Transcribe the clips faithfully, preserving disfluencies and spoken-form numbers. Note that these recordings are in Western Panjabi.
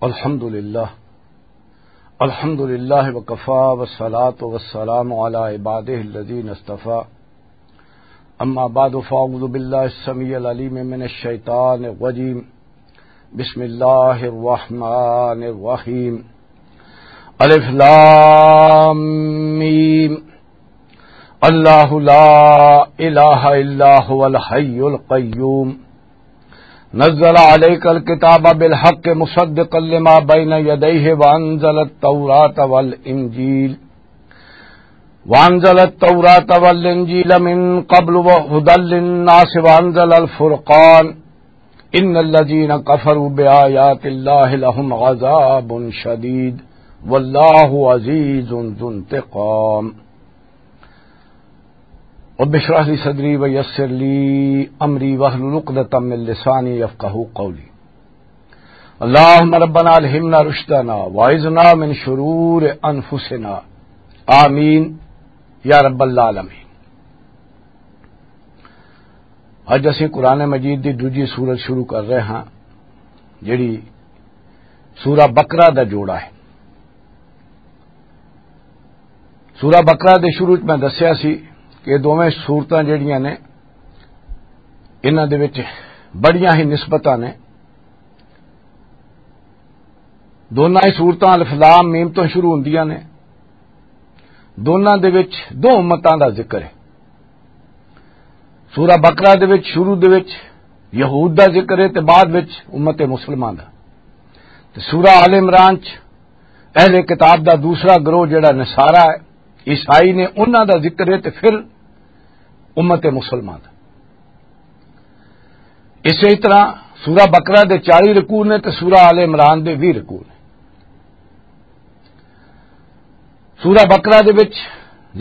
الحمد لله. الحمد لله وكفى، والصلاة والسلام على عباده الذين اصطفى. أما بعد، فأعوذ بالله السميع العليم من الشيطان الرجيم. بسم الله الرحمن الرحيم. الف لام ميم. الله لا إله إلا هو الحي القيوم. نزل عليك الكتاب بالحق مصدقا لما بين يديه وأنزل التوراة والإنجيل، وأنزل التوراة والإنجيل من قبل وهدى للناس وأنزل الفرقان. إن الذين كفروا بآيات الله لهم عذاب شديد والله عزيز ذو انتقام. رب اشرح لي صدري ويسر لي أمري واحلل عقدة من لساني يفقهوا قولي. اللهم ربنا ألهمنا رشدنا وأعذنا من شرور أنفسنا. آمين يا رب العالمين. اج اسی قرآن مجید دی دوجی سورت شروع کر رہے ہاں، جڑی سورہ بقرہ دا جوڑا ہے۔ سورہ بقرہ دے شروع وچ میں دسیا سی کہ یہ دوویں سورتاں جڑیاں نے، انہاں دے وچ بڑیاں ہی نسبتاں نے۔ دوناں ہی سورتاں الف لام میم تو شروع ہوندیاں نے۔ دوناں دے وچ دو امتاں دا ذکر ہے۔ سورہ بقرہ دے وچ، شروع دے وچ یہود دا ذکر ہے تے بعد وچ امت مسلمان دا۔ تے سورہ آل عمران چ اہل کتاب دا دوسرا گروہ جڑا نصارہ ہے، عیسائی نے، انہاں دا ذکر ہے تے پھر امت مسلمان دا۔ اسی طرح سورہ بقرہ دے چالی رکوع نے تے سورہ آل عمران دے ویہہ رکوع نے۔ سورہ بقرہ دے وچ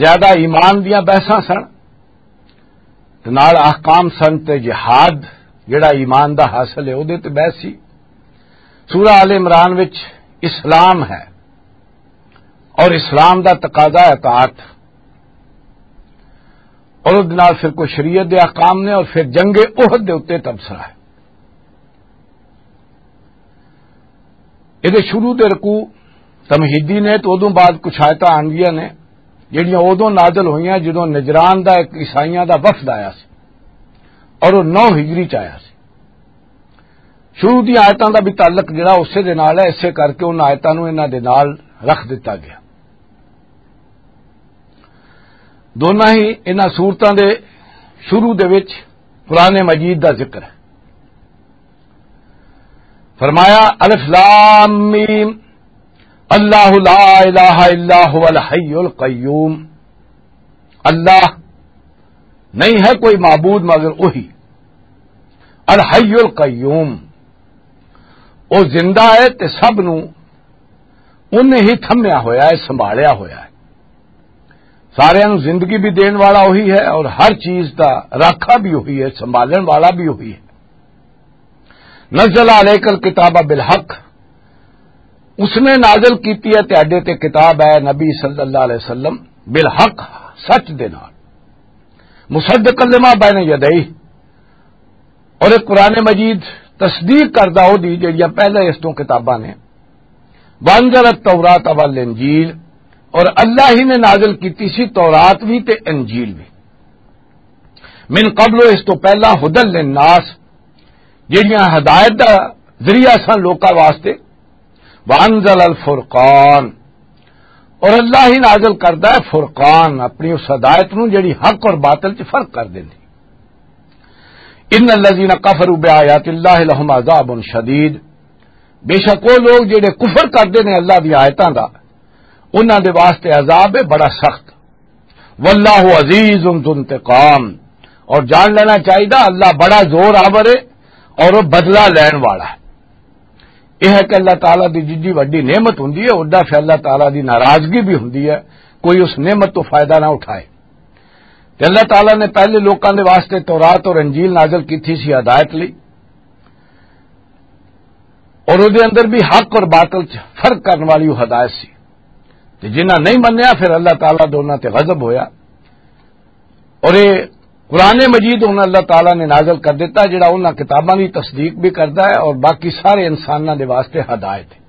زیادہ ایمان دیاں بحثاں سن، تے نال احکام سن تے جہاد جڑا ایمان دا حاصل ہے، او دے تے بحث سی۔ سورہ آل عمران وچ اسلام ہے اور اسلام دا تقاضا ہے اطاعت، اور اس نال پھر کوئی شریعت دے احکام نے، اور پھر جنگ احد دے اُتے تبصرہ ہے۔ یہ شروع دے رکوع تمہیدی نے، تو ادوں بعد کچھ آیتاں آندیاں نے جڑیاں ادوں نازل ہوئیاں جدوں نجران دا ایک عیسائیاں دا وفد آیا سی اور وہ نو ہجری چ آیا سی۔ شروع دی آیتاں دا بھی تعلق جڑا اسے دے نال ہے، اسے کر کے ان آیتاں نوں انہاں دے نال رکھ دتا گیا۔ دوناں ہی انہاں سورتاں دے شروع دے وچ قرآن مجید دا ذکر ہے۔ فرمایا، الف لام میم، اللہ لا الہ الا هو الحی القیوم۔ اللہ نہیں ہے کوئی معبود مگر وہی، الحی القیوم، وہ زندہ ہے تے سب نو انہیں ہی تھمیا ہویا ہے، سنبھالیا ہویا ہے۔ سارے نو زندگی بھی دین والا وہی ہے اور ہر چیز دا راکھا بھی وہی ہے، سنبھالن والا بھی وہی ہے۔ نزل علیک الکتاب بالحق، اس نے نازل کیتی ہے تہاڈے تے کتاب ہے نبی صلی اللہ علیہ وسلم، بالحق، سچ دے نال، مصدقا لما بین یدیہ، اور ایک قرآن مجید تصدیق کردا او دی جڑیاں پہلے اس تو کتاباں نے، وانزل التوراۃ والانجیل، اور اللہ ہی نے نازل کیتی سی تورات بھی تے انجیل بھی، من قبل، اس تو پہلا، ہدل للناس، جڑیاں ہدایت دا ذریعہ سن لوکاں واسطے، وانزل الفرقان، اور اللہ ہی نازل کردا ہے فرقان، اپنی اس ہدایت نو جڑی حق اور باطل چ فرق کر دیندی۔ ان الذین کفروا بآیات اللہ لهم عذاب شدید، بے شک وہ لوگ جڑے کفر کردے نے اللہ دی آیتاں دا، انہاں دے واسطے عذاب ہے بڑا سخت۔ واللہ عزیز ذو انتقام، اور جان لینا چاہیے اللہ بڑا زور آور ہے اور وہ بدلہ لین والا ہے۔ یہ ہے کہ اللہ تعالیٰ دی جڈی وڈی نعمت ہوندی ہے، اوڈا پھر اللہ تعالیٰ دی ناراضگی بھی ہوندی ہے، کوئی اس نعمت تو فائدہ نہ اٹھائے۔ تے اللہ تعالیٰ نے پہلے لوکاں دے واسطے تورات اور انجیل نازل کی تھی سی ہدایت لئی، اور وہ دے اندر بھی حق اور باطل چ فرق کرنے والی وہ ہدایت سی۔ تے جنہاں نہیں منیا، پھر اللہ تعالیٰ دے انہاں تے غضب ہویا۔ اور یہ قرآن مجید ہن اللہ تعالیٰ نے نازل کر دیتا، جڑا انہاں کتاباں دی تصدیق بھی کردا ہے اور باقی سارے انساناں دے واسطے ہدایت ہے۔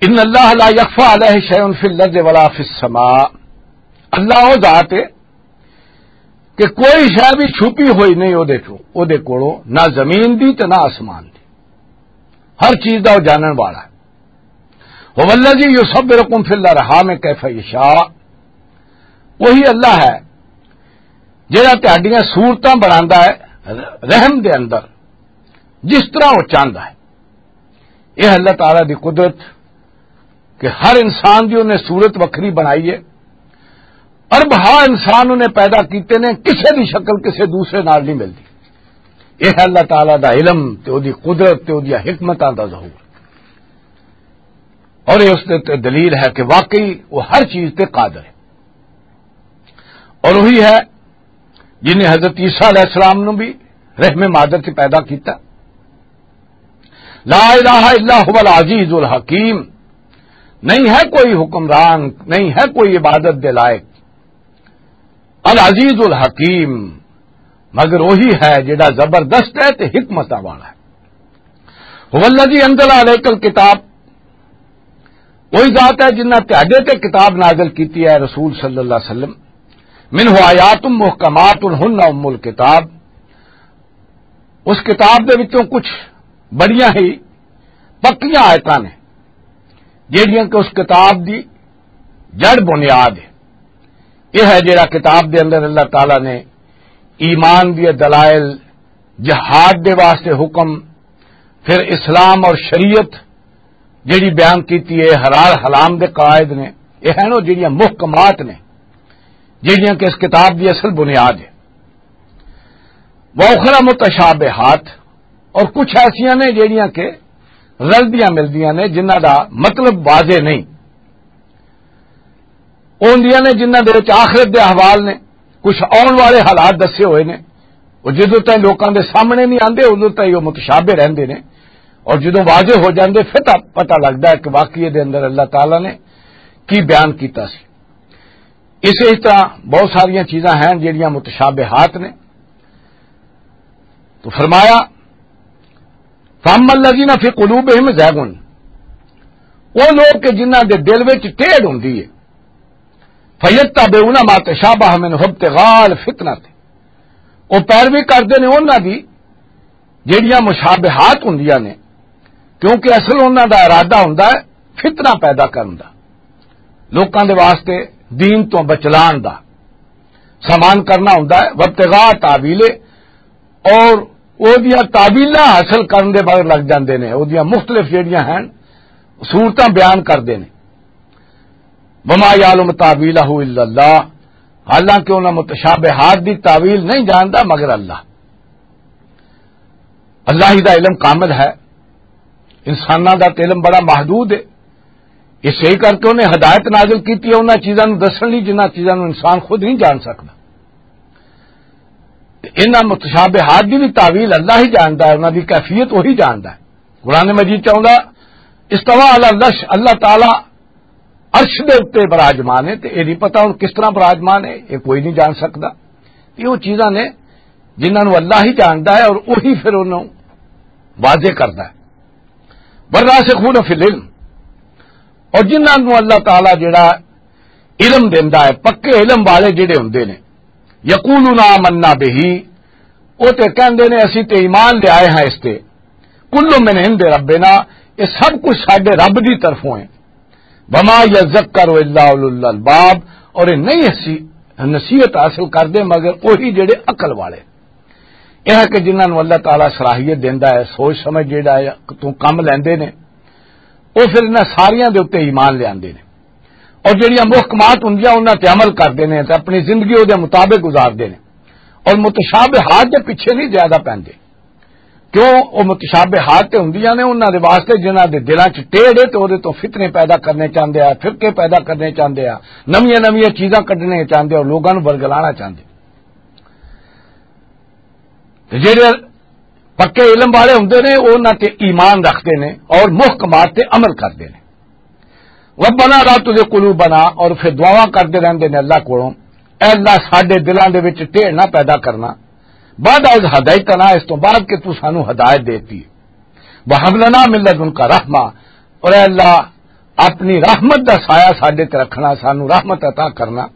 ان اللہ لا یخفی علیہ شیء فی الارض ولا فی السماء۔ اللہ وہ ذات ہے کہ کوئی شے بھی چھپی ہوئی نہیں او دے چوں، او دے کولوں، نہ زمین دی تے نہ آسمان دی۔ ہر چیز دا وہ جانن والا ہے۔ هو الذی یصورکم فی الارحام کیف یشاء۔ وہی اللہ ہے جڑا تہاڈیاں صورتاں بناندا ہے رحم دے اندر، جس طرح وہ چاہندا ہے۔ یہ اللہ تعالیٰ دی قدرت کہ ہر انسان دی انہیں صورت وکھری بنائی ہے۔ ارب ہا انسان انہیں پیدا کیتے نے، کسے دی شکل کسے دوسرے نال نہیں ملدی۔ یہ اللہ تعالیٰ دا علم تے او دی قدرت تے او دی حکمتاں دا ظہور، اور یہ اس دے تے دلیل ہے کہ واقعی وہ ہر چیز تے قادر ہے۔ اور وہی ہے جن نے حضرت عیسیٰ علیہ السلام نو بھی رحم مادر سے پیدا کیتا۔ لا الہ الا هو العزیز الحکیم۔ نہیں ہے کوئی حکمران، نہیں ہے کوئی عبادت دے لائق، العزیز الحکیم، مگر وہی ہے جڑا زبردست ہے تے حکمتاں والا ہے۔ هو الذی انزل علیک الکتاب، وہی ذات ہے جنہ تہاڈے تے کتاب نازل کیتی ہے رسول صلی اللہ علیہ وسلم۔ منہ آیات محکمات ہن ام الکتاب، اس کتاب دے وچوں کچھ بڑیاں ہی پکیاں آیتاں نے، جہڑیاں کہ اس کتاب دی جڑ بنیاد ہے۔ یہ ہے جڑا کتاب دے اندر اللہ تعالیٰ نے ایمان دی دلائل، جہاد دے واسطے حکم، پھر اسلام اور شریعت جڑی بیان کیتی ہے، حلال حرام دے قواعد نے، یہ ہیں وہ جڑیاں محکمات نے، جڑیاں کہ اس کتاب دی اصل بنیاد ہے۔ وہ اخرى متشابہات، اور کچھ ایسیاں نے جڑیاں کہ رلدیاں ملدیاں نے، جنہاں دا مطلب واضح نہیں۔ او ہوندیاں نے جنہاں دے وچ آخرت دے احوال نے، کچھ آن والے حالات دسے ہوئے نے۔ وہ جدوں تائیں لوکاں دے سامنے نہیں آندے، ادوں تائیں وہ متشابہ رہندے نے، اور جدوں واضح ہو جاندے، پھر تاں پتہ لگدا ہے کہ واقعی دے اندر اللہ تعالیٰ نے کی بیان کیتا سی۔ اسی طرح بہت ساریاں چیزاں ہیں جڑیاں متشابہات نے۔ تو فرمایا، فَأَمَّا الَّذِينَ فِي قُلُوبِهِمْ زَيْغٌ، وہ لوگ کہ جنہاں دے دل وچ ٹیڑھ ہوندی ہے، فَيَتَّبِعُونَ مَا تَشَابَهَ مِنْهُ ابْتِغَاءَ الْفِتْنَةِ، وہ پیروی کردے نے انہاں دی جڑیاں مشابہات ہوندیاں نے، کیونکہ اصل انہاں دا ارادہ ہوندا ہے فتنہ پیدا کرن دا، لوکاں دے واسطے دین تو بچلان دا، سامان کرنا ہوندا ہے، وابتغاء تاویلے، اور او دیاں تاویلاں حاصل کرن دے مگر لگ جاندے نے، او دیاں مختلف جڑیاں ہیں صورتاں بیان کردے نے۔ وما یعلم تاویلہ الا اللہ، حالانکہ انہاں متشابہات دی تاویل نہیں جاندا مگر اللہ۔ اللہ ہی دا علم کامل ہے، انساناں دا تے علم بڑا محدود ہے۔ اس صحیح کر کے انہیں ہدایت نازل کیتی ہے انہاں چیزاں نوں دسن لئی جنہاں چیزاں نوں انسان خود نہیں جان سکدا۔ تے انہاں متشابہات دی بھی تاویل اللہ ہی جاندا ہے، انہاں دی کیفیت وہی جاندا ہے۔ قرآن مجید چاہوندا، استویٰ علی العرش، اللہ تعالیٰ عرش دے اُتے براجمان ہے، تے اے نہیں پتہ ہن کس طرح براجمان ہے، اے کوئی نہیں جان سکدا۔ اے او چیزاں نے جنہاں نوں اللہ ہی جاندا ہے اور وہی پھر انہوں واضح کردا ہے۔ والراسخون فی العلم، اور جنہاں نوں اللہ تعالیٰ جڑا علم دیندا ہے، پکے علم والے جڑے ہوندے نے، یقولون آمنا بہ، او تے کہندے نے، "اسی تے ایمان لے آئے ہاں اس تے، کل من عند ربنا، یہ سب کچھ ساڈے رب دی طرفوں ہے۔ وما یذکر الا اولو الالباب، اور یہ نہیں اسی نصیحت حاصل کردے مگر وہی جڑے عقل والے۔" یہ ہے کہ جنہاں نوں اللہ تعالیٰ صلاحیت دیندا ہے، سوچ سمجھ جڑا ہے، تو کم لیندے نے، وہ پھر انہاں ساریاں دے اُتے ایمان لے آندے نے۔ اور جڑیاں محکمات ہوندیاں، انہاں تے عمل کردے نے تے اپنی زندگی او دے مطابق گزاردے نے۔ اور متشابہات دے پیچھے نہیں زیادہ پیندے۔ کیوں؟ او متشابہات تے ہوندیاں نے انہاں دے واسطے جنہاں دے دلاں چ ٹیڑھ ہے تے او دے تو فتنے پیدا کرنے چاہندے آ، فرقے پیدا کرنے چاہندے آ، نویاں نویاں چیزاں کڈنے چاہندے آ اور لوگاں نوں ورگلانا چاہندے۔ تے جڑے پکے علم والے ہوندے نے، او انہاں تے ایمان رکھدے نے اور محکمات تے عمل کردے نے۔ ربنا لا تزغ قلوبنا، اور پھر دعاواں کردے رہندے نے اللہ کولوں، "اے اللہ، ساڈے دلاں دے وچ ٹیڑھ نہ پیدا کرنا، بعد از ہدایتنا، اس تو بعد کہ تو سانو ہدایت دیتی، وہب لنا من لدنک رحمہ، اور اے اللہ، اپنی رحمت دا سایہ ساڈے تے رکھنا، سانو رحمت عطا کرنا۔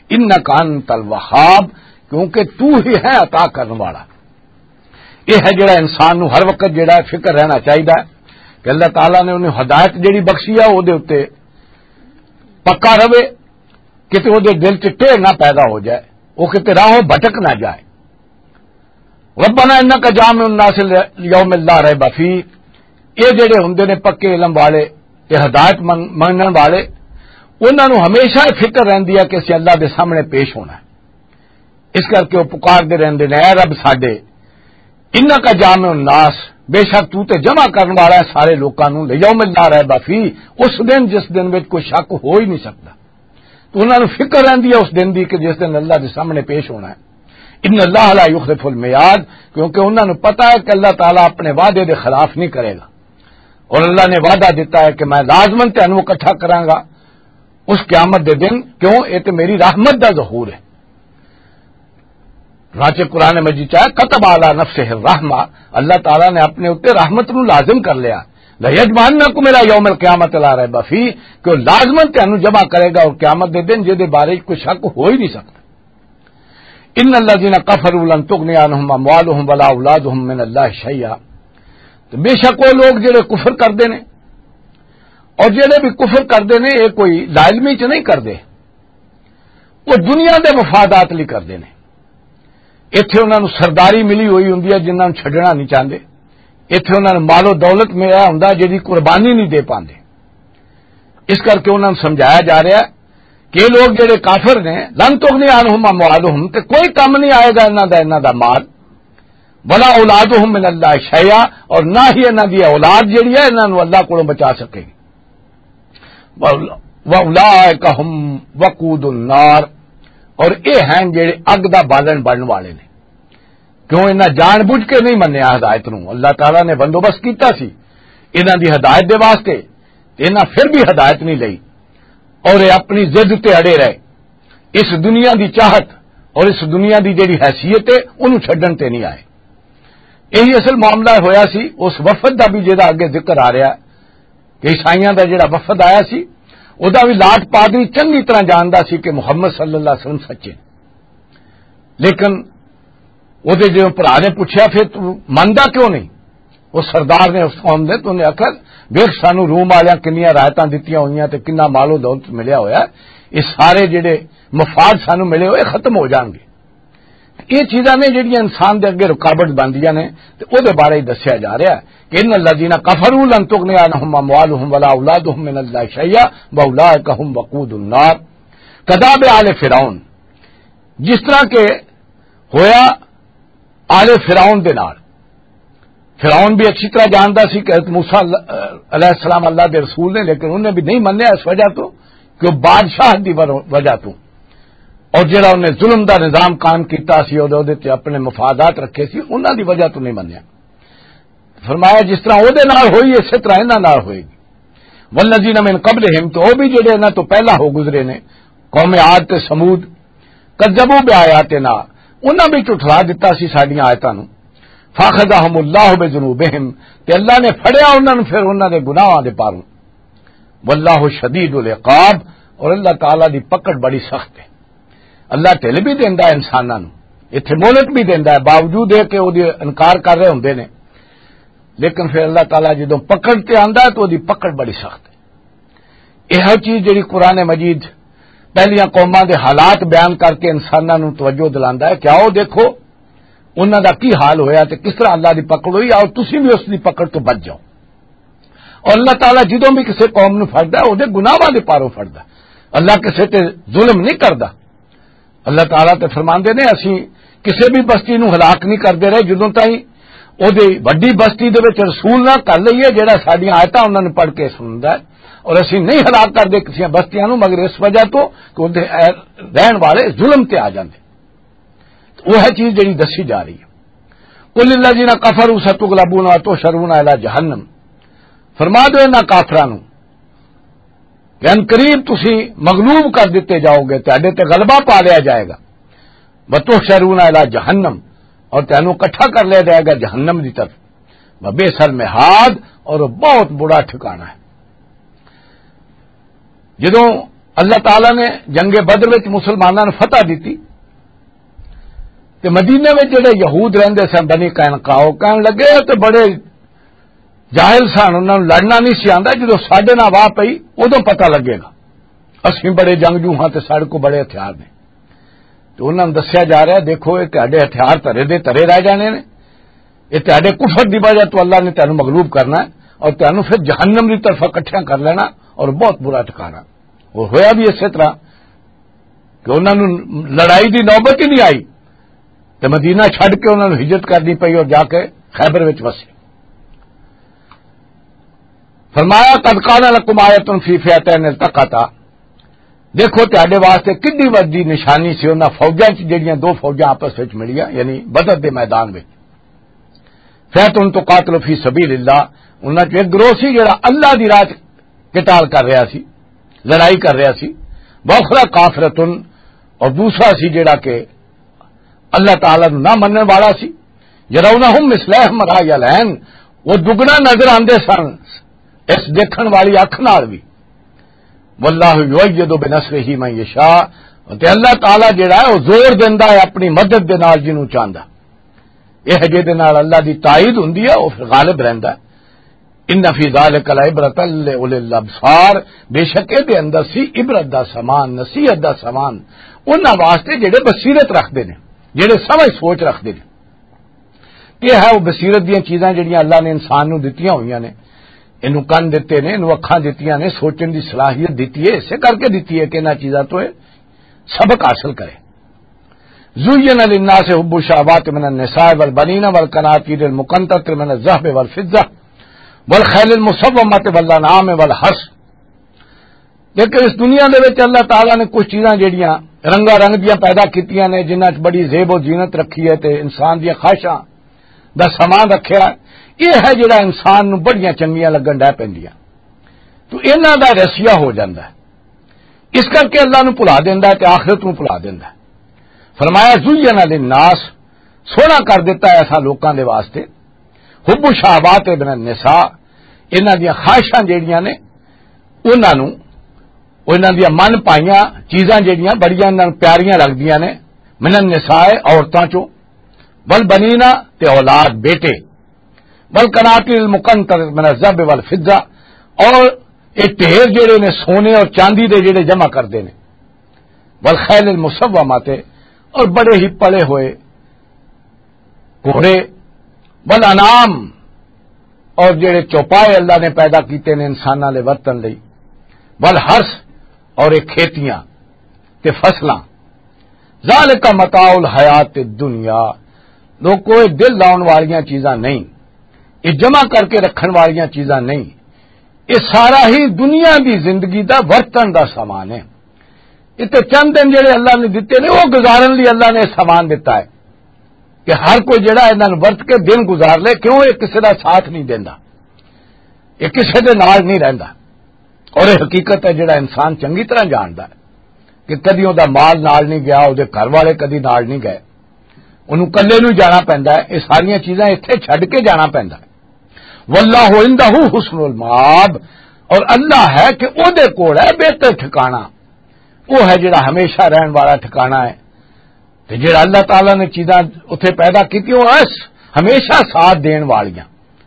انک انت الوہاب، کیونکہ تو ہی ہے عطا کرن والا۔ یہ ہے جڑا انسان نو ہر وقت جڑا ہے فکر رہنا چاہیدا ہے کہ اللہ تعالیٰ نے انہیں ہدایت جڑی بخشی ہے، او دے اُتے پکا رہے، کتے او دے دل چ ٹیڑھ نہ پیدا ہو جائے، او کتے راہوں بھٹک نہ جائے۔ ربنا انک جامع الناس لیوم لا ریب فیہ، یہ جڑے ہوندے نے پکے علم والے تے ہدایت من-، منن والے، انہاں نوں ہمیشہ یہ فکر رہندی ہے کہ اسی اللہ دے سامنے پیش ہونا ہے۔ اس کر کے وہ پکار دے رہندے نے، "اے رب ساڈے، انک جامع الناس، بے شک تو تے جمع کرن والا ہے سارے لوکاں نوں، لیوم لا ریب فیہ، اس دن جس دن وچ کوئی شک ہو ہی نہیں سکدا۔" تو انہاں نوں فکر رہندی ہے اس دن دی کہ جس دن اللہ دے سامنے پیش ہونا ہے۔ ان اللہ لا یخلف المیعاد، کیونکہ انہاں نوں پتہ ہے کہ اللہ تعالیٰ اپنے وعدے دے خلاف نہیں کرے گا، اور اللہ نے وعدہ دیتا ہے کہ میں لازماً تینوں اکٹھا کراں گا اس قیامت دے دن۔ کیوں؟ اے تے میری رحمت دا ظہور ہے۔ چنانچہ قرآن مجید چاہے، "کتب علی نفسہ الرحمہ"، اللہ تعالیٰ نے اپنے اُتے رحمت نو لازم کر لیا۔ "لیجمعنکم الی یوم القیامۃ لا ریب فیہ"، کہ وہ لازماً تینوں جمع کرے گا اور قیامت دے دن جہدے بارے کوئی شک ہو ہی نہیں سکتا۔ "ان الذین کفروا لن تغنی عنہم اموالہم ولا اولادہم من اللہ شیئا"، تو بے شک وہ لوگ جڑے کفر کردے نے، اور جڑے بھی کفر کردے نے، یہ کوئی لاعلمی چ نہیں کردے، وہ دنیا دے مفادات لئی کردے نے۔ ایتھے انہاں نوں سرداری ملی ہوئی ہوندی ہے جنہاں نوں چھڈنا نہیں چاہندے۔ ایتھے انہاں نوں مال و دولت ملیا ہوندا جہدی قربانی نہیں دے پاندے۔ اس کر کے انہاں نوں سمجھایا جا رہا ہے کہ یہ لوگ جڑے کافر نے، لن تغنی عنہم اموالہم، تے کوئی کم نہیں آئے گا انہاں دا، انہاں دا مال، ولا اولادہم من اللہ شیئا، اور نہ ہی انہاں دی اولاد جڑی ہے انہاں نوں اللہ کولوں بچا سکے گی۔ وَأُولَٰئِكَ هُمْ وَقُودُ النَّارِ، اور یہ ہیں جڑے اگ دا بالن بنن والے نے۔ کیوں انہاں جان بوجھ کے نہیں منیا ہدایت نو؟ اللہ تعالیٰ نے بندوبست کیتا سی انہاں دی ہدایت دے واسطے، تے انہاں پھر بھی ہدایت نہیں لئی، اور یہ اپنی ضد تے اڑے رہے۔ اس دنیا دی چاہت اور اس دنیا دی جڑی حیثیت ہے، انہوں چھڈن تے نہیں آئے۔ یہی اصل معاملہ ہویا سی اس وفد دا بھی، جہدا اگے ذکر آ رہا ہے کہ عیسائیاں دا جڑا وفد آیا سی، او دا بھی لاٹ پادری چنگی طرح جاندا سی کہ محمد صلی اللہ علیہ وسلم سچے۔ لیکن او دے جدوں بھرا نے پوچھیا، "پھر تو مندا کیوں نہیں؟" او سردار نے اس قوم دے، تو انہیں آکھیا، "ویکھ، سانو روم والیاں کنیاں رعایتاں دتیاں ہوئیاں تے کنا مال و دولت ملیا ہویا ہے، یہ سارے جڑے مفاد سانو ملے ہوئے ختم ہو جان گے۔" یہ چیزاں نے جڑیاں انسان دے اگے رکاوٹ بندیاں نے، تے او دے بارے ہی دسیا جا رہا ہے کہ ان الذین کفروا لن تغنی عنہم اموالہم ولا اولادہم من اللہ شیئا واولئک ہم وقود النار۔ کداب آل فرعون، جس طرح کہ ہویا آل فرعون دے نال۔ فرعون بھی اچھی طرح جاندا سی کہ حضرت موسیٰ علیہ السلام اللہ دے رسول نے، لیکن انہیں بھی نہیں منیا اس وجہ تو کہ وہ بادشاہ دی ور-، وجہ تو، اور جڑا انہیں ظلم دا نظام قائم کیتا سی اور اودے تے اپنے مفادات رکھے سی، انہاں دی وجہ تو نہیں منیا۔ فرمایا، جس طرح اودے نال ہوئی، اسی طرح انہاں نال ہوئے گی۔ والذین من قبلہم، تو وہ بھی جڑے انہاں تو پہلا ہو گزرے نے، قوم عاد تے ثمود، کذبوا بآیاتنا، انہاں بھی جھٹلا دتا سی ساڈیاں آیتاں نوں۔ فاخذہم اللہ بذنوبہم، تے اللہ نے پھڑیا انہاں نوں پھر انہاں دے گناہاں دے پاروں۔ واللہ شدید العقاب، اور اللہ تعالیٰ دی پکڑ بڑی سخت ہے۔ اللہ ڈھل بھی دیندا ہے انساناں نوں، ایتھے مہلت بھی دیندا ہے، باوجود ہے کہ وہ انکار کر رہے ہوندے نے، لیکن پھر اللہ تعالیٰ جدوں پکڑ تے آندا ہے تو وہ دی پکڑ بڑی سخت ہے۔ یہ چیز جڑی قرآن مجید پہلیاں قوماں دے حالات بیان کر کے انساناں نوں توجہ دلاندا ہے کہ آؤ دیکھو انہاں دا کی حال ہویا تے کس طرح اللہ دی پکڑ ہوئی، آؤ تسی بھی اس دی پکڑ تو بچ جاؤ۔ اور اللہ تعالیٰ جدوں بھی کسی قوم نوں پھڑدا ہے، وہ دے گناہاں دے پاروں پھڑدا ہے۔ اللہ کسی تے ظلم نہیں کردا۔ اللہ تعالیٰ تے فرماندے نے، "اسی کسی بھی بستی نوں ہلاک نہیں کردے رہے جدوں تائیں او دے وڈی بستی دے وچ رسول نہ کر لئیے، جڑا ساڈیاں آیتاں انہاں نوں پڑھ کے سندا ہے، اور اسی نہیں ہلاک کردے کسی بستیاں نوں مگر اس وجہ تو کہ او دے رہن والے ظلم تے آ جاندے۔" وہ ہے چیز جڑی دسی جا رہی ہے۔ قل للذین کفروا ستغلبون وتحشرون الی جہنم، فرما دو انہاں کافراں نوں کہ ان قریب تسی مغلوب کر دتے جاؤ گے، تہاڈے تے غلبہ پا لیا جائے گا۔ وتحشرون الی جہنم، اور تینوں اکٹھا کر لیا جائے گا جہنم دی طرف۔ وبئس المہاد، اور وہ بہت برا ٹھکانہ ہے۔ جدوں اللہ تعالیٰ نے جنگ بدر وچ مسلماناں نوں فتح دتی، تے مدینے وچ جڑے یہود رہندے سن، بنی قینقاع، او کہن لگے، "اے تے بڑے جاہل سن، انہاں نوں لڑنا نہیں سی آندا، جدوں ساڈے نال واہ پئی، ادوں پتہ لگے گا۔ اسیں بڑے جنگجو ہاں تے ساڈے کول بڑے ہتھیار نے۔" تے انہاں نوں دسیا جا رہا، "دیکھو، اے تہاڈے ہتھیار ترے دے ترے رہ جانے نے، اے تہاڈے کفر دی وجہ تو اللہ نے تہانوں مغلوب کرنا ہے اور تہانوں پھر جہنم دی طرف اکٹھیاں کر لینا اور بہت برا ٹھکانا۔" اور ہویا بھی اسی طرح کہ انہاں نوں لڑائی دی نوبت ہی نہیں آئی، تے مدینہ چھڈ کے انہاں نوں ہجرت کرنی پئی اور جا کے خیبر وچ وسے۔ فرمایا، "قد کان لکم آیۃ فی فئتین التقتا۔" دیکھو، تہاڈے واسطے کڈی وڈی نشانی سی انہاں فوجاں چ، جڑیاں دو فوجاں آپس وچ ملیاں، یعنی بدر دے میدان وچ۔ فئتۃ تقاتل فی سبیل اللہ، انہاں چ ایک گروہ سی جڑا اللہ دی راہ چ قتال کر رہا سی، لڑائی کر رہا سی، واخری کافرۃ، اور دوسرا سی جڑا کہ اللہ تعالیٰ نوں نہ منن والا سی۔ یرونہم مثلیہم رأی العین، وہ دگنا نظر آندے سن اس دیکھن والی اکھ نال بھی۔ واللہ یؤید بنصرہ من یشاء، تے اللہ تعالیٰ جڑا ہے، وہ زور دیندا ہے اپنی مدد دے نال جنوں چاہندا۔ یہ جے دے نال اللہ دی تائید ہوندی ہے، وہ پھر غالب رہندا ہے۔ ان فی ذلک لعبرۃ لأولی الابصار، بے شک اے دے اندر سی عبرت دا سامان، نصیحت دا سامان، انہاں واسطے جڑے بصیرت رکھدے نے، جڑے سمجھ سوچ رکھدے نے۔ کہ ہے وہ بصیرت دیاں چیزاں جڑیاں اللہ نے انسان نوں دتیاں ہوئیاں نے، اینوں کن دتے نے، اینوں اکھاں دتیاں نے، سوچن دی صلاحیت دتی ہے، اسے کر کے دتی ہے کہ انہاں چیزاں تو یہ سبق حاصل کرے۔ زین للناس حب الشہوات من النساء والبنین والقناطیر المقنطرۃ من الذہب والفضہ والخیل المسومۃ والانعام والحرث۔ لیکن اس دنیا دے وچ اللہ تعالیٰ نے کچھ چیزاں جڑیاں رنگا رنگ دیاں پیدا کیتیاں نے، جنہاں وچ بڑی زیب و زینت رکھی ہے تے انسان دیاں خواہشاں دا سامان رکھیا ہے۔ یہ ہے جڑا انسان نوں بڑیاں چنگیاں لگن ڈے پیندیاں، تو انہاں دا رسیا ہو جاندا ہے۔ اس کر کے اللہ نوں بھلا دیندا ہے تے آخرت نوں بھلا دیندا ہے۔ فرمایا، زین للناس، سوہنا کر دتا ہے ایسا لوکاں دے واسطے، حب الشہوات من النساء، انہاں دیاں خواہشاں جڑیاں نے، انہاں نوں، انہاں دیاں من پائیاں چیزاں جڑیاں بڑیاں انہاں نوں پیاریاں لگدیاں نے، من النساء، عورتاں چوں، والبنین، تے اولاد، بیٹے، والقناطیر المقنطرۃ من الذہب والفضہ، اور یہ ڈھیر جڑے نے سونے اور چاندی دے جڑے جمع کردے نے، والخیل المسومۃ، اور بڑے ہی پڑے ہوئے گھوڑے، والانعام، اور جڑے چوپائے اللہ نے پیدا کیتے نے انساناں دے ورتن لئی، والحرث، اور یہ کھیتیاں تے فصلاں۔ ذالک متاع الحیات الدنیا، لوکو، یہ دل لاؤن والیاں چیزاں نہیں، یہ جمع کر کے رکھن والیاں چیزاں نہیں، یہ سارا ہی دنیا دی زندگی دا ورتن دا سامان ہے۔ اتنے چند دن جڑے اللہ نے دتے نے، وہ گزارن لئی اللہ نے سامان دتا ہے کہ ہر کوئی جڑا انہاں نوں ورت کے دن گزار لے، کیوں یہ کسے دا ساتھ نہیں دیندا، یہ کسے دے نال نہیں رہندا۔ اور یہ حقیقت ہے، جڑا انسان چنگی طرح جاندا ہے کہ کدی او دا مال نال نہیں گیا، او دے گھر والے کدی نال نہیں گئے، انہوں کلے نوں جانا پیندا ہے، یہ ساریاں چیزاں اتھے چھڈ کے جانا پیندا ہے۔ واللہ عندہ حسن المآب، اور اللہ ہے کہ او دے کول ہے بہتر ٹھکانہ، وہ ہے جڑا ہمیشہ رہن والا ٹھکانہ ہے۔ تے جڑا اللہ تعالیٰ نے چیزاں اتھے پیدا کیتی، وہ اس ہمیشہ ساتھ دین والیاں۔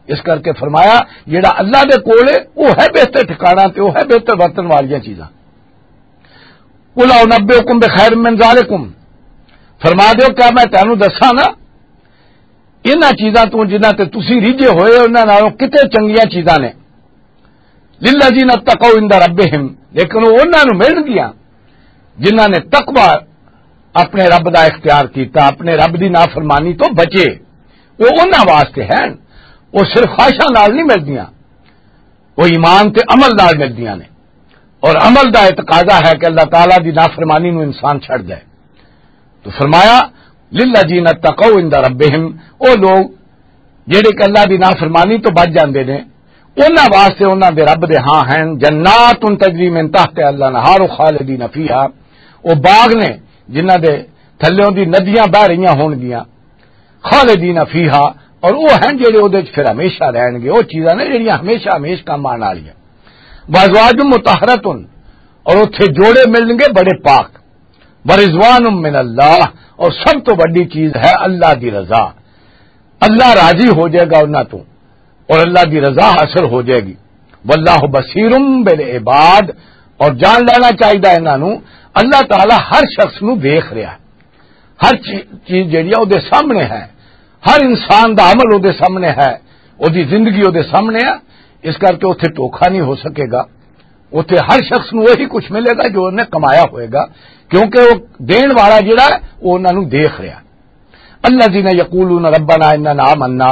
اس کر کے فرمایا، جڑا اللہ دے کول ہے، وہ ہے بہتر ٹھکانہ تے وہ ہے بہتر ورتن والیاں چیزاں۔ قل انبئکم بخیر من ذالکم، فرما دیو، کیا میں تینوں دساں نا انہاں چیزاں تو جنہاں تے تسی ریجھے ہوئے، انہاں نالوں کتے چنگیاں چیزاں نے؟ للذین اتقوا عند ربہم، لیکن وہ انہاں نوں ملن گیاں جنہاں نے تقوی اپنے رب دا اختیار کیتا، اپنے رب دی نافرمانی تو بچے۔ وہ انہاں واسطے ہیں، وہ صرف خواہشاں نال نہیں ملدیاں، وہ ایمان تے عمل نال ملدیاں نے۔ اور عمل دا اعتقاضا ہے کہ اللہ تعالیٰ دی نافرمانی نو انسان چھڑ دے۔ تو فرمایا، للذین اتقوا عند ربہم، او لوگ جڑے کہ اللہ دی نافرمانی تو بچ جاندے نے، انہاں واسطے انہاں دے رب دے ہاں ہیں جنات تجری من تحت الانہار خالدین فیہا، او باغ نے جنہاں دے تھلیوں دی ندیاں بہ رہیاں ہون گیاں، خالدین فیہا، اور وہ ہیں جڑے وہ پھر ہمیشہ رہن گے۔ وہ چیزاں نے جڑیاں ہمیشہ ہمیش کام آن والیاں۔ وازواج مطہرۃ، اور اتھے جوڑے ملن گے بڑے پاک۔ ورضوان من اللہ، اور سب تو بڑی چیز ہے اللہ دی رضا۔ اللہ راضی ہو جائے گا انہاں تو، اور اللہ دی رضا حاصل ہو جائے گی۔ واللہ بصیر بالعباد، اور جان لینا چاہیے انہاں نو، اللہ تعالیٰ ہر شخص نو دیکھ رہا ہے، ہر چی-، چیز جیڑی ہے او دے سامنے ہے، ہر انسان دا عمل او دے سامنے ہے، او دی زندگی او دے سامنے ہے۔ اس کر کے اتھے دھوکھا نہیں ہو سکے گا۔ اتھے ہر شخص نو وہی کچھ ملے گا جو انہیں کمایا ہوئے گا، کیونکہ وہ دین والا جڑا ہے، وہ انہاں نو دیکھ رہا۔ الذین یقولون ربنا اننا آمنا،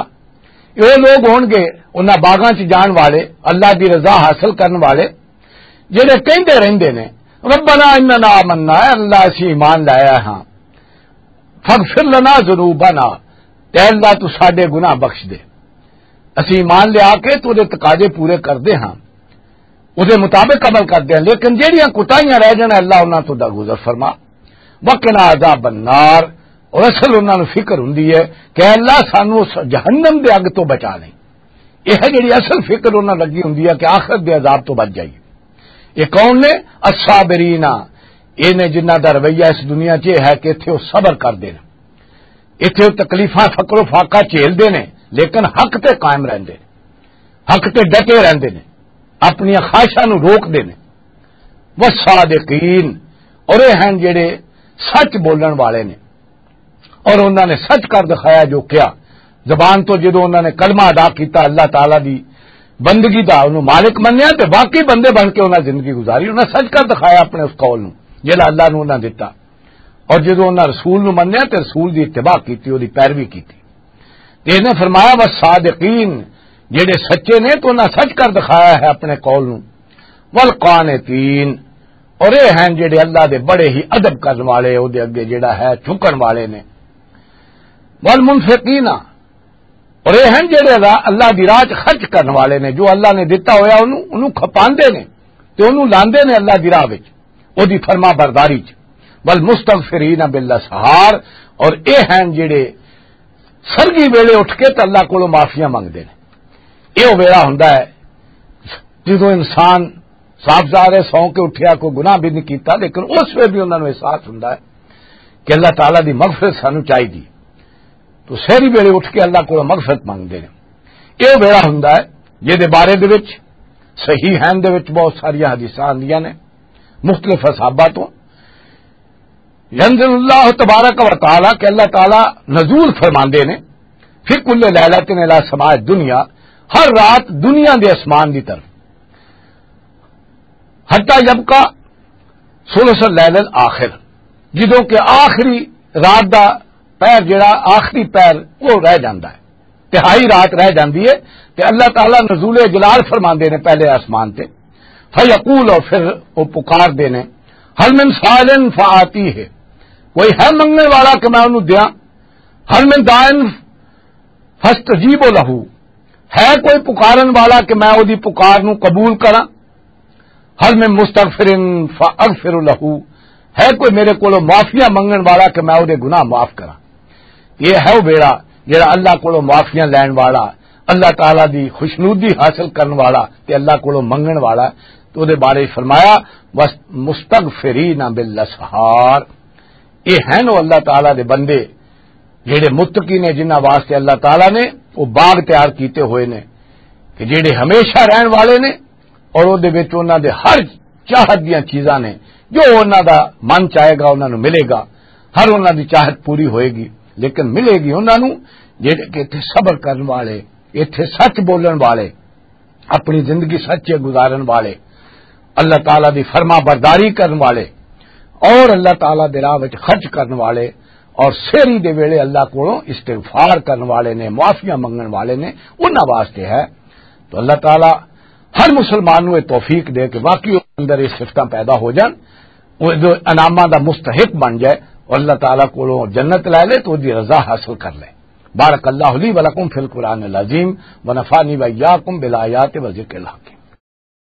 یہ لوگ ہون گے انہاں باغاں چ جان والے، اللہ دی رضا حاصل کرن والے، جڑے کہندے رہندے نے، ربنا اننا آمنا، اے اللہ اسی ایمان لایا ہاں، فاغفر لنا ذنوبنا، تے اللہ تو ساڈے گناہ بخش دے۔ اسی ایمان لیا کے تو دے تقاضے پورے کردے ہاں، او دے مطابق عمل کردے ہاں، لیکن جیڑیاں کوتاہیاں رہ جانا، اللہ انہاں تو درگزر فرما۔ وقنا عذاب النار، اور اصل انہاں نوں فکر ہوندی ہے کہ اللہ سانو اس جہنم دے اگ تو بچا لیں۔ یہ ہے جڑی اصل فکر انہاں لگی ہوندی ہے کہ آخرت دے عذاب تو بچ جائیے۔ یہ کون نے؟ الصابرین، یہ نے جنہاں دا رویہ اس دنیا 'چ یہ ہے کہ اتھے وہ صبر کردے نے، اتھے وہ تکلیفاں، فقر و فاقہ جھیلدے نے، لیکن حق تے قائم رہندے نے، حق تے ڈٹے رہندے نے، اپنی خواہشاں نوں روکدے نے۔ والصادقین، اور یہ ہیں جڑے سچ بولن والے نے، اور انہاں نے سچ کر دکھایا جو کیا، زبان تو جدوں انہاں نے کلمہ ادا کیتا، اللہ تعالیٰ دی بندگی دا انہوں مالک منیا، تے باقی بندے بن کے انہاں زندگی گزاری، انہاں سچ کر دکھایا اپنے اس قول نوں جڑا اللہ نوں انہاں دتا۔ اور جدوں انہاں رسول نوں منیا تے رسول دی اتباع کیتی، اودی پیروی کیتی۔ تے انہاں فرمایا، "والصادقین"، جڑے سچے نے تو انہاں سچ کر دکھایا ہے اپنے قول نوں۔ "والقانتین"، اور یہ ہیں جڑے اللہ دے بڑے ہی ادب کرن والے، او دے اگے جڑا ہے جھکن والے نے۔ "والمنفقین"، اور یہ ہیں جڑے اللہ، اللہ دی راہ 'چ خرچ کرن والے نے، جو اللہ نے دتا ہویا انہوں، انہوں کھپاندے نے تے انہوں لاندے نے اللہ دی راہ وچ، او دی فرما برداری 'چ۔ "والمستغفرین بالاسحار"، اور یہ ہیں جڑے سرگی ویلے اٹھ کے تے اللہ کولوں معافیاں منگدے نے۔ یہ ویلا ہوندا ہے جدوں انسان صاف ظاہر ہے، سو کے اٹھیا، کوئی گناہ بھی نہیں کیتا، لیکن اس ویلے بھی انہاں نوں احساس ہوندا ہے کہ اللہ تعالیٰ دی مغفرت سانوں چاہیدی۔ تو سہری ویلے اٹھ کے اللہ کولوں مغفرت منگدے نے۔ یہ ویلا ہوندا ہے جس دے بارے دے وچ صحیح ہیں دے وچ بہت ساریاں حدیثاں آندیاں نے مختلف اصحابہ تو۔ ینزل اللہ تبارک و تعالیٰ، کہ اللہ تعالیٰ نزول فرماندے نے، فی کل لیلۃ الی سماء دنیا، ہر رات دنیا دے آسمان دی طرف، حتی یبقی ثلث اللیل الآخر، جدوں کہ آخری رات دا پیر جڑا آخری پیر وہ رہ جاندا ہے، تہائی رات رہ جاندی ہے، تے اللہ تعالیٰ نزول جلال فرماندے نے پہلے آسمان تے، فیقول، اور پھر وہ پکار دے نے، "هل من سائل فآتیہ"، کوئی ہے منگنے والا کہ میں انہوں دیاں؟ "هل من داعٍ فاستجیب لہ"، ہے کوئی پکارن والا کہ میں وہ دی پکار نو قبول کراں؟ "هل من مستغفر فاغفر لہ"، ہے کوئی میرے کولوں معافیاں منگن والا کہ میں وہ دے گناہ معاف کراں؟ یہ ہے وہ ویڑا جڑا اللہ کولوں معافیاں لین والا، اللہ تعالیٰ دی خوشنودی حاصل کرن والا تے اللہ کولوں منگن والا۔ تو دے بارے فرمایا، "بس مستغفرین بالاسحار"، یہ ہیں وہ اللہ تعالیٰ دے بندے جڑے متقی نے، جنہاں واسطے اللہ تعالیٰ نے وہ باغ تیار کیتے ہوئے نے، کہ جڑے ہمیشہ رہن والے نے، اور وہ دے وچ انہاں دے ہر چاہت دیاں چیزاں نے، جو انہاں دا من چاہے گا انہاں نوں ملے گا، ہر انہاں دی چاہت پوری ہوئے گی، لیکن ملے گی انہاں نوں جڑے کہ اتھے صبر کرن والے، اتھے سچ بولن والے، اپنی زندگی سچے گزارن والے، اللہ تعالیٰ دی فرما برداری کرن والے، اور اللہ تعالیٰ دے راہ وچ خرچ کرن والے، اور سہری دے ویلے اللہ کولوں استغفار کرن والے نے، معافیاں منگن والے نے، انہاں واسطے ہے۔ تو اللہ تعالیٰ ہر مسلمان نوں یہ توفیق دے کہ واقعی اس اندر یہ صفتاں پیدا ہو جان، وہ جو انعاماں دا مستحق بن جائے، اور اللہ تعالیٰ کولوں جنت لے لے تو دی رضا حاصل کر لے۔ بارک اللہ لی ولکم فی القرآن العظیم، ونفعنی وإیاکم بالآیات و ذکر الحکیم۔